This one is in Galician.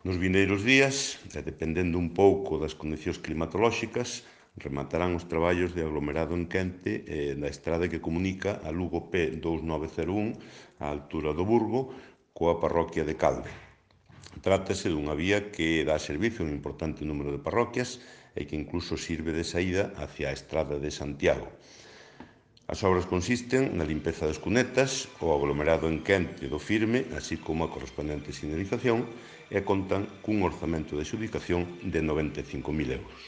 Nos vindeiros días, e dependendo un pouco das condicións climatolóxicas, rematarán os traballos de aglomerado en Quente da estrada que comunica a Lugo P2901 á altura do Burgo coa parroquia de Calde. Trátase dunha vía que dá servizo a un importante número de parroquias e que incluso sirve de saída hacia a estrada de Santiago. As obras consisten na limpeza das cunetas, o aglomerado en quente do firme, así como a correspondente sinalización, e contan cun orzamento de adxudicación de 95.000 euros.